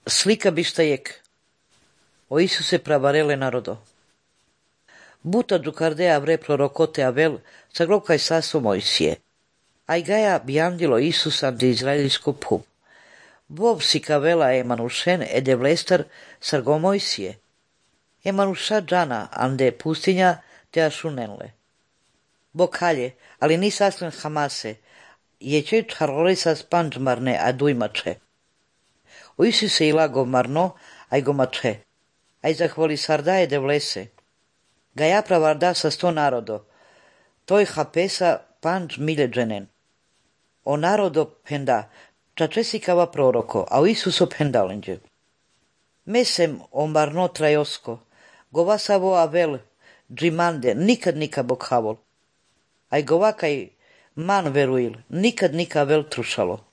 Slika bištajek. O Isuse pravarele narodo. Buta Džukardea vre prorokote Avel, saglokaj saso Mojsije. Aj gaja biandilo Isusa de izraelsko pub. Bov si kavela Emanušen ede vlestar sargo Mojsije. Emanuša džana ande pustinja te ašunenle. Bokalje, ali ni saslen Hamase, je če čarole sa spanđmarne a dujmače. O Isuse ilago marno, aj go mače. Aj zahvoli sardaje de vlese. Gaja pravarda sa 100 narodo. Toj hapesa panđ miljeđenen. O narodo penda, čačesikava proroko, a o Isuso pendalenđe. Mesem o marno trajosko, govasavo avel, džimande, nikad nika bokhavol. Aj govakaj man veruil, nikad nika vel trušalo.